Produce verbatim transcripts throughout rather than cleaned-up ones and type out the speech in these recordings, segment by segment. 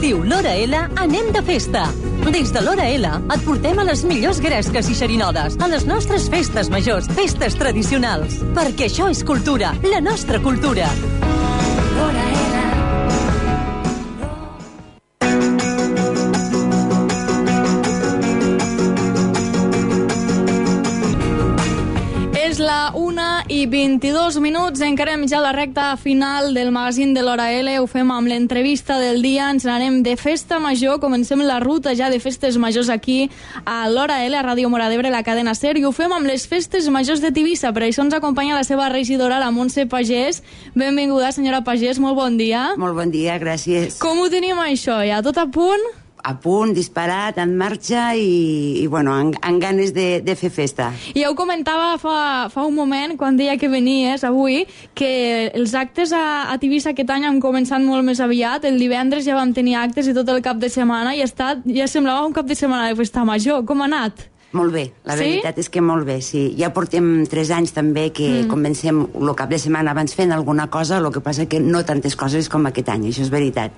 estiu L'Hora L anem de festa. Des de L'Hora L et portem a les millors gresques i xerinodes, a les nostres festes majors, festes tradicionals. Perquè això és cultura, la nostra cultura. L'Hora L. És la una i vint-i-dos minuts, encarem ja la recta final del magazín de l'Hora L, ho fem amb l'entrevista del dia, ens n'anem de festa major, comencem la ruta ja de festes majors aquí a l'Hora L, a Ràdio Móra d'Ebre, la cadena SER, i ho fem amb les festes majors de Tivissa, per això ens acompanya la seva regidora, la Montse Pagès. Benvinguda, senyora Pagès, molt bon dia. Molt bon dia, gràcies. Com ho tenim això, ja tot a punt? A punt, disparat, en marxa i, i bueno, amb, amb ganes de, de fer festa. I ja ho comentava fa, fa un moment, quan deia que venies avui, que els actes a, a Tivissa aquest any han començat molt més aviat. El divendres ja vam tenir actes i tot el cap de setmana i ha estat, ja semblava un cap de setmana de festa major. Com ha anat? Molt bé, la sí? veritat és que molt bé, sí. Ja portem tres anys també que mm. comencem el cap de setmana abans fent alguna cosa, el que passa que no tantes coses com aquest any, això és veritat.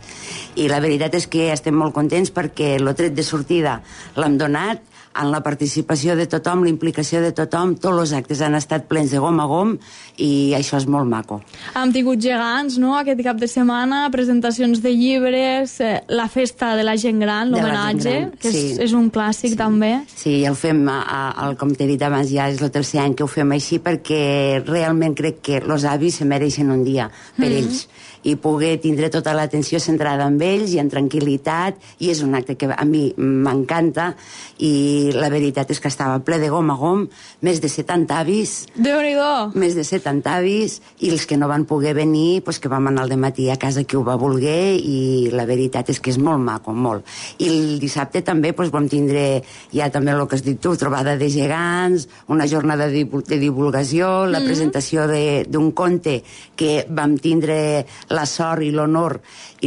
I la veritat és que estem molt contents perquè el tret de sortida l'hem donat, en la participació de tothom, la implicació de tothom, tots els actes han estat plens de gom a gom i això és molt maco. Hem tingut gegants, no?, aquest cap de setmana, presentacions de llibres, eh, la festa de la gent gran, l'homenatge, que és, sí. és un clàssic sí. també. Sí, ja ho fem, a, a, com t'he dit abans, ja és el tercer any que ho fem així perquè realment crec que els avis se mereixen un dia per mm-hmm. ells i poder tindre tota l'atenció centrada en ells i en tranquil·litat, i és un acte que a mi m'encanta, i la veritat és que estava ple de gom a gom, més de setanta avis, Déu-n'hi-do! més de setanta avis, i els que no van poder venir, pues que vam anar al dematí a casa qui ho va voler, i la veritat és que és molt maco, molt. I el dissabte també pues, vam tindre ja també el que has dit tu, trobada de gegants, una jornada de divulgació, la mm-hmm. presentació d'un conte que vam tindre la sort i l'honor,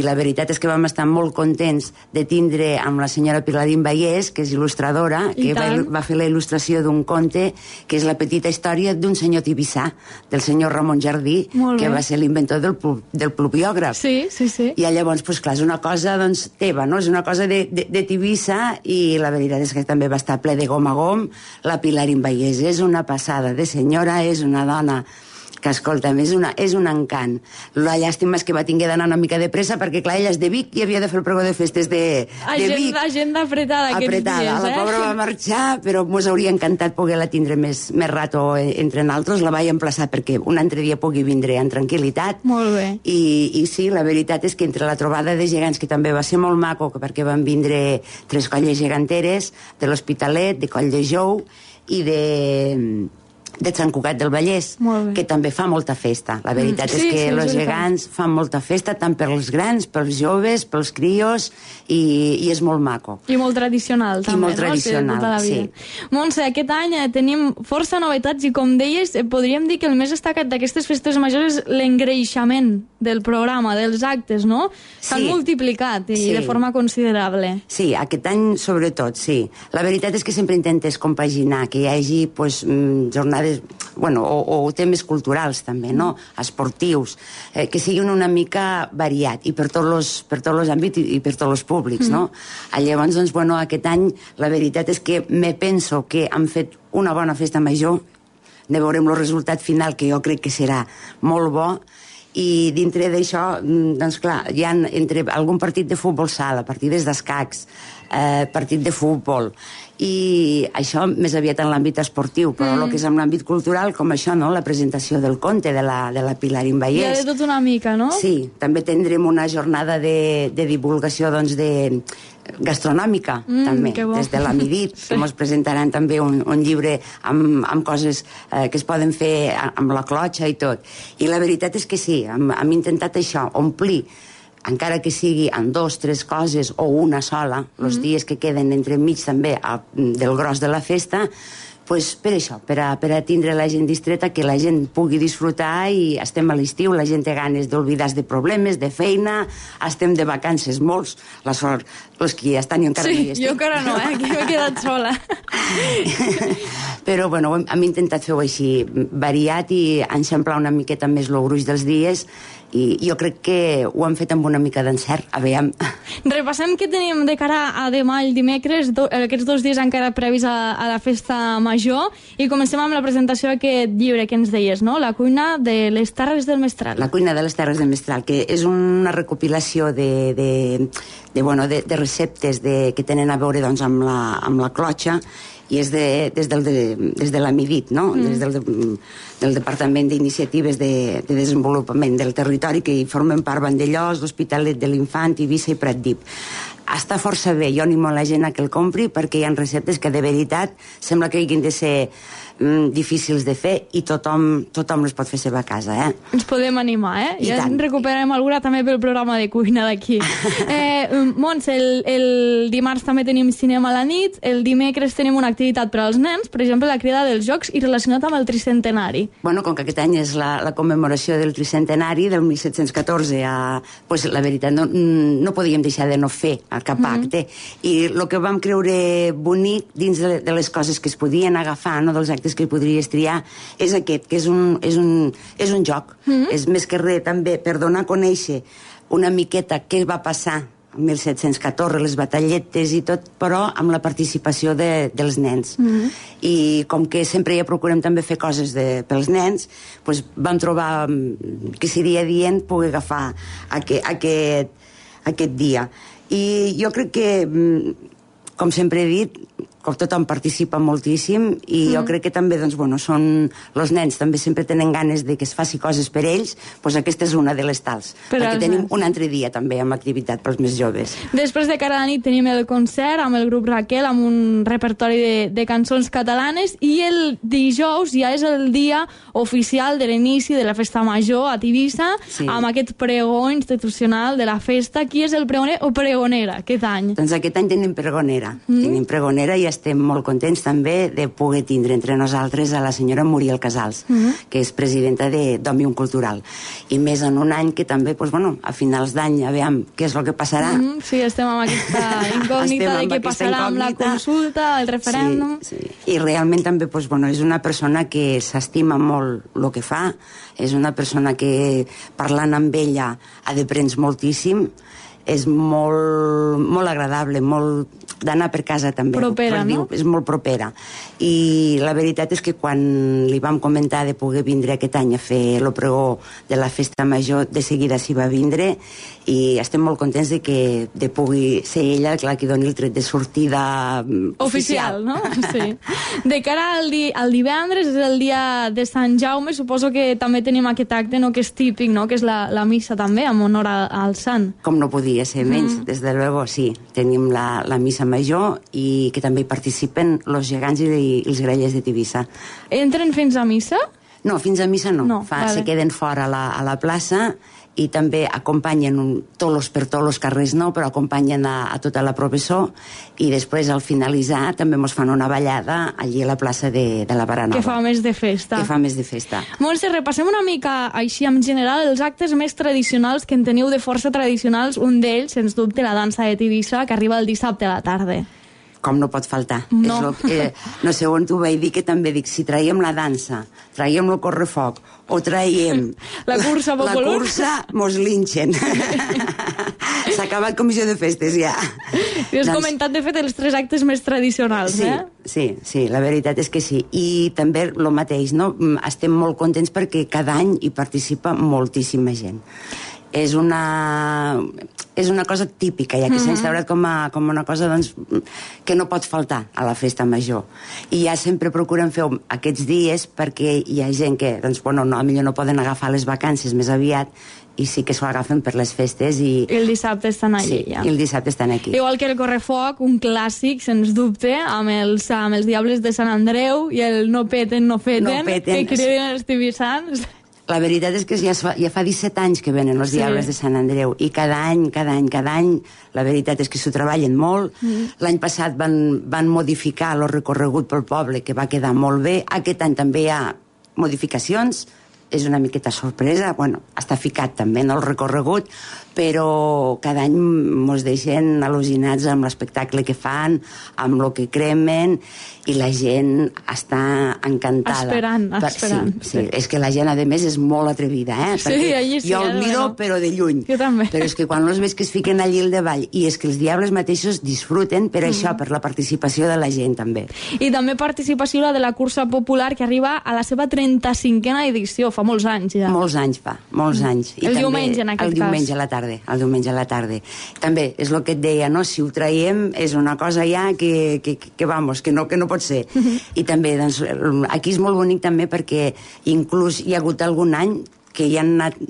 i la veritat és que vam estar molt contents de tindre amb la senyora Pilarín Vallès, que és il·lustradora, que va, va fer la il·lustració d'un conte que és la petita història d'un senyor tibissà, del senyor Ramon Jardí, que va ser l'inventor del, del pluviògraf. Sí, sí, sí. I llavors, pues, clar, és una cosa doncs, teva, no? És una cosa de, de, de Tivissa, i la veritat és que també va estar ple de gom a gom. La Pilarín Vallès és una passada de senyora, és una dona que, escolta'm, és, una, és un encant. La llàstima és que va tinguer d'anar una mica de pressa perquè, clar, ella és de Vic i havia de fer el pregó de festes de, de Vic. Agenda apretada aquests apretada. dies, eh? La pobra va marxar, però mos hauria encantat poder-la tindre més, més rato entre naltros. La vaig emplaçar perquè un altre dia pugui vindre en tranquil·litat. Molt bé. I, I sí, la veritat és que entre la trobada de gegants, que també va ser molt maco, perquè van vindre tres colles geganteres, de l'Hospitalet, de Coll de Jou i de... de Sant Cugat del Vallès, que també fa molta festa. La veritat mm. sí, és que sí, els gegants fan molta festa, tant pels grans, pels joves, pels crios, i, i és molt maco. I molt tradicional, també, I molt no? tradicional, sí. sí. Montse, aquest any eh, tenim força novetats i, com deies, eh, podríem dir que el més destacat d'aquestes festes majors és l'engreixament del programa, dels actes, no? S'han sí. multiplicat i sí. de forma considerable. Sí, aquest any sobretot, sí. La veritat és que sempre intentes compaginar, que hi hagi pues, jornades bueno, o, o temes culturals també, no? Esportius, eh, que siguin una mica variat i per tots els per tots els àmbits i, i per tots els públics, mm. no? Llavors, doncs, bueno, aquest any la veritat és que me penso que han fet una bona festa major, ne veurem el resultat final, que jo crec que serà molt bo, i dintre d'això, doncs clar, hi ha entre algun partit de futbol sala, partides d'escacs, eh, partit de futbol, i això més aviat en l'àmbit esportiu, però mm. el que és en l'àmbit cultural, com això, no? La presentació del conte de la, de la Pilarín Vallès. Ja de tot una mica, no? Sí, també tindrem una jornada de, de divulgació, doncs, de gastronòmica, mm, també, des de l'Amidit, sí. que ens presentaran també un, un llibre amb, amb coses eh, que es poden fer amb la clotxa i tot. I la veritat és que sí, hem, hem intentat això, omplir, encara que sigui en dos, tres coses o una sola, els mm-hmm. dies que queden entremig també a, del gros de la festa, pues per això, per a, per a tindre la gent distreta, que la gent pugui disfrutar, i estem a l'estiu, la gent té ganes d'oblidar-se de problemes, de feina, estem de vacances molts, la sort, els que ja estan i encara sí, no hi estem. Sí, jo encara no, eh? Aquí m'he quedat sola. Però, bueno, hem, hem intentat fer-ho així, variat, i enxamplar una miqueta més el gruix dels dies, i jo crec que ho han fet amb una mica d'encert. A veure... Repassem què tenim de cara a demà, el dimecres, do, aquests dos dies encara previs a, a la festa major, i comencem amb la presentació d'aquest llibre que ens deies, no? La cuina de les Terres del Mestral. La cuina de les Terres del Mestral, que és una recopilació de, de, de, bueno, de, de receptes de, que tenen a veure doncs, amb, la, amb la clotxa, i és de, des, del, de, des de l'AMIDIT, no? Mm. Des del, del Departament d'Iniciatives de, de Desenvolupament del Territori, que hi formen part Vandellòs, l'Hospitalet de l'Infant, Eivissa i Pratdip. Està força bé, jo animo la gent a que el compri, perquè hi ha receptes que de veritat sembla que hagin de ser mm, difícils de fer, i tothom, tothom les pot fer seva a casa, eh? Ens podem animar, eh? I ja tant. En recuperarem alguna també pel programa de cuina d'aquí. eh, Montse, el, el dimarts també tenim cinema a la nit, el dimecres tenim una activitat per als nens, per exemple, la crida dels jocs, i relacionat amb el tricentenari. Bueno, com que aquest any és la, la commemoració del tricentenari, del mil set-cents catorze, a, pues, la veritat, no, no podíem deixar de no fer cap acte, mm-hmm. i el que vam creure bonic dins de, de les coses que es podien agafar, no, dels actes que podries triar, és aquest, que és un, és un, és un joc. Mm-hmm. És més que res també per donar a conèixer una miqueta què va passar en mil set-cents catorze, les batalletes i tot, però amb la participació de, dels nens. Mm-hmm. I com que sempre ja procurem també fer coses de, pels nens, doncs vam trobar que seria dient poder agafar aquest, aquest, aquest dia. I jo crec que, com sempre he dit, com tothom participa moltíssim, i mm. jo crec que també, doncs, bueno, són... Els nens també sempre tenen ganes de que es faci coses per ells, doncs aquesta és una de les tals. Per perquè tenim nens. Un altre dia també amb activitat pels més joves. Després de cara a la nit tenim el concert amb el grup Raquel, amb un repertori de, de cançons catalanes, i el dijous ja és el dia oficial de l'inici de la festa major a Tivissa, sí. Amb aquest pregó institucional de la festa. Qui és el pregoner o pregonera aquest any? Doncs aquest any tenim pregonera. Mm. Tenim pregonera i estem molt contents també de poder tindre entre nosaltres a la senyora Muriel Casals, mm-hmm. que és presidenta d'Òmnium Cultural. I més en un any que també, doncs, bueno, a finals d'any, a veure què és el que passarà. Mm-hmm. Sí, estem amb aquesta incògnita de què passarà incògnita. Amb la consulta, el referèndum. Sí, sí. I realment també, doncs, bueno, és una persona que s'estima molt el que fa, és una persona que parlant amb ella ha d'aprendre moltíssim, és molt, molt agradable, molt d'anar per casa també. Propera, no? És molt propera. I la veritat és que quan li vam comentar de poder vindre aquest any a fer el pregó de la festa major, de seguida s'hi va vindre, i estem molt contents de que de pugui ser ella la que doni el tret de sortida oficial. Oficial, no? Sí. De cara al, di al divendres, és el dia de Sant Jaume, suposo que també tenim aquest acte, no?, que és típic, no?, que és la, la missa també, en honor a, al sant. Com no podia ser menys, mm. des de luego, sí. Tenim la, la missa major, i que també hi participen els gegants i, i els grellers de Tivissa. Entren fins a missa? No, fins a missa no. no Fa, vale. Se queden fora a la, a la plaça, i també acompanyen un, tolos per tots els carrers, no, però acompanyen a, a tota la processó, i després al finalitzar també ens fan una ballada allí a la plaça de, de la Baranova. Que fa més de festa. Que fa més de festa. Montse, repassem una mica així en general els actes més tradicionals que en teniu de força tradicionals. Un d'ells, sens dubte, la dansa de Tivissa, que arriba el dissabte a la tarda. Com no pot faltar. No. És lo que, no sé on t'ho vaig dir, que també dic, si traiem la dansa, traiem el correfoc, o traiem la cursa popular, la cursa, mos linxen. S'ha acabat comissió de festes, ja. I has doncs... comentat, de fet, els tres actes més tradicionals, sí, eh? Sí, sí, la veritat és que sí. I també el mateix, no? Estem molt contents perquè cada any hi participa moltíssima gent. És una, és una cosa típica, ja que mm-hmm. s'ha instaurat com, a, com una cosa, doncs, que no pot faltar a la festa major. I ja sempre procurem fer aquests dies perquè hi ha gent que, doncs, bueno, no, potser no poden agafar les vacances més aviat, i sí que s'ho agafen per les festes. I, I el dissabte estan allí, sí, ja. I el dissabte estan aquí. Igual que el correfoc, un clàssic, sens dubte, amb els, amb els Diables de Sant Andreu i el no peten, no feten, no peten. Que criden els tibissans. La veritat és que ja fa, ja fa disset anys que venen els Diables sí. de Sant Andreu, i cada any, cada any, cada any, la veritat és que s'ho treballen molt. Mm. L'any passat van, van modificar el recorregut pel poble, que va quedar molt bé. Aquest any també hi ha modificacions, és una miqueta sorpresa, bueno, està ficat també en el recorregut, però cada any mos deixen al·lucinats amb l'espectacle que fan, amb el que cremen, i la gent està encantada. Esperant, esperant. Sí, sí, és que la gent, a més, és molt atrevida, eh? Sí, allí sí. Jo el miro, no. però de lluny. Jo també. Però és que quan els veig que es fiquen allí al davall, i és que els diables mateixos disfruten per mm. això, per la participació de la gent, també. I també participació la de la cursa popular, que arriba a la seva trenta-cinquena edició, fa molts anys ja. Molts anys fa, molts mm. anys. I el també, diumenge, en aquest el cas. El diumenge a la tarda. El diumenge a la tarda. També, és el que et deia, no? Si ho traiem, és una cosa ja que, que, que vamos, que no, que no pot ser. Mm-hmm. I també, doncs, aquí és molt bonic també perquè inclús hi ha hagut algun any que hi han anat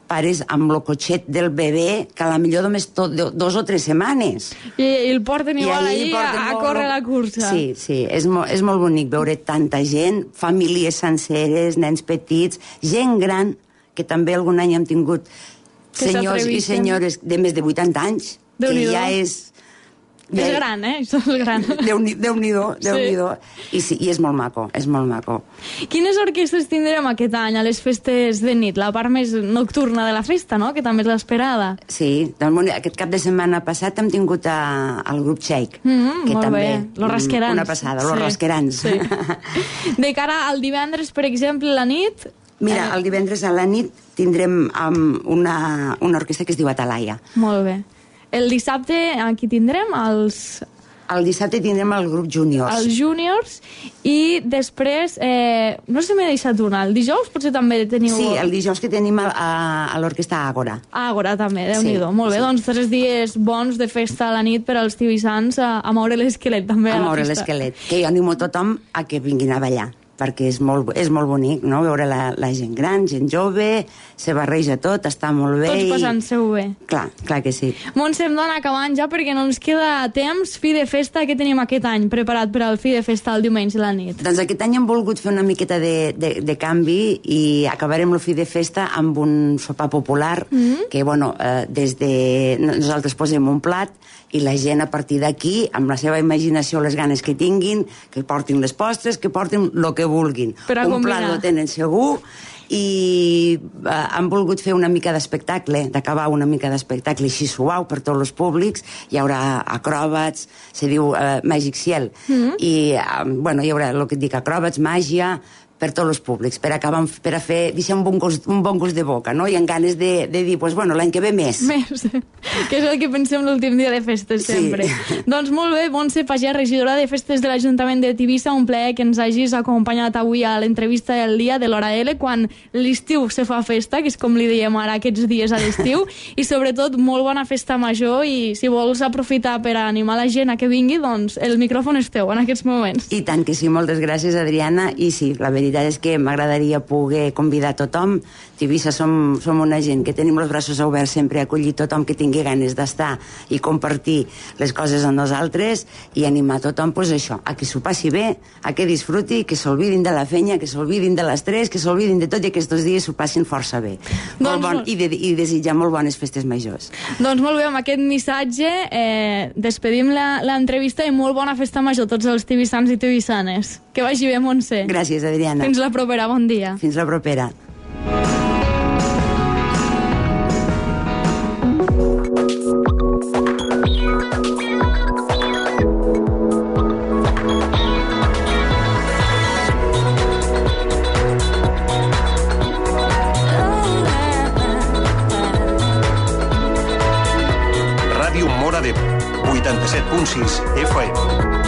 pares amb el cotxet del bebè, que a la millor només tot, dos o tres setmanes. I, i el porten igual allí a, a córrer la cursa. Sí, sí, és, mo, és molt bonic veure tanta gent, famílies senceres, nens petits, gent gran, que també algun any hem tingut senyors i senyores de més de vuitanta anys, que ja és... Ja és gran, eh? Això és gran. Déu-n'hi-do, Déu-n'hi-do. Sí. I, sí, I és molt maco, és molt maco. Quines orquestres tindrem aquest any a les festes de nit? La part més nocturna de la festa, no?, que també és l'esperada. Sí, doncs, aquest cap de setmana passat hem tingut a, al grup Shake, mm-hmm, que molt també... Bé. Los Rasquerans. Una passada, sí. Los Rasquerans. Sí. De cara al divendres, per exemple, la nit... Mira, el divendres a la nit tindrem um, una, una orquestra que es diu Atalaia. Molt bé. El dissabte aquí tindrem els... El dissabte tindrem el grup Júniors. Els Júniors, i després, eh, no sé si m'he deixat una, el dijous potser també teniu... Sí, el dijous que tenim a, a, a l'orquestra Àgora. Àgora també, Déu-n'hi-do. Sí, molt bé, sí. Doncs tres dies bons de festa a la nit per als tibissans a, a moure l'esquelet també a, a la festa. A moure l'esquelet, que jo animo tothom a que vinguin a ballar, perquè és molt, és molt bonic, no?, veure la, la gent gran, gent jove, se barreja tot, està molt bé. Tots passant-se-ho bé. Clar, clar que sí. Montse, em dona acabant ja perquè no ens queda temps. Fi de festa, què tenim aquest any preparat per al fi de festa el diumenge a la nit? Doncs aquest any hem volgut fer una miqueta de, de, de canvi i acabarem el fi de festa amb un sopar popular, mm-hmm. que, bueno, eh, des de... nosaltres posem un plat i la gent a partir d'aquí, amb la seva imaginació, les ganes que tinguin, que portin les postres, que portin el que vulguin. Un combinar. plat lo tenen segur, i eh, han volgut fer una mica d'espectacle, d'acabar una mica d'espectacle així suau per tots els públics. Hi haurà acròbats, se diu eh, Magic Ciel, mm-hmm. i eh, bueno, hi haurà el que et dic, acròbats, màgia, per tots els públics, per acabar, per a fer, deixar un bon gust, un bon gust de boca, no? I amb ganes de, de dir, pues, bueno, l'any que ve més. Més, que és el que pensem l'últim dia de festes, sempre. Sí. Doncs molt bé, Montse Pagès, regidora de festes de l'Ajuntament de Tivissa, un plaer que ens hagis acompanyat avui a l'entrevista del dia de l'Hora L, quan l'estiu se fa festa, que és com li diem ara aquests dies a l'estiu, i sobretot molt bona festa major, i si vols aprofitar per animar la gent a que vingui, doncs el micròfon és teu en aquests moments. I tant que sí, moltes gràcies, Adriana, i sí, la veritat és que m'agradaria poder convidar tothom. Tivissa som, som una gent que tenim els braços oberts sempre a acollir tothom que tingui ganes d'estar i compartir les coses amb nosaltres, i animar tothom, pues això, a que s'ho passi bé, a que disfruti, que s'olvidin de la feina, que s'olvidin de l'estrès, que s'olvidin de tot, i aquests dies s'ho passin força bé. Doncs, molt bon, i, de, i desitjar molt bones festes majors. Doncs molt bé, amb aquest missatge eh, despedim l'entrevista, i molt bona festa major a tots els tibissans i tivissanes. Que vagi bé, Montse. Gràcies, Adriana. Fins la propera, bon dia. Fins la propera. Ràdio Móra d'Ebre, vuitanta-set punt sis F M.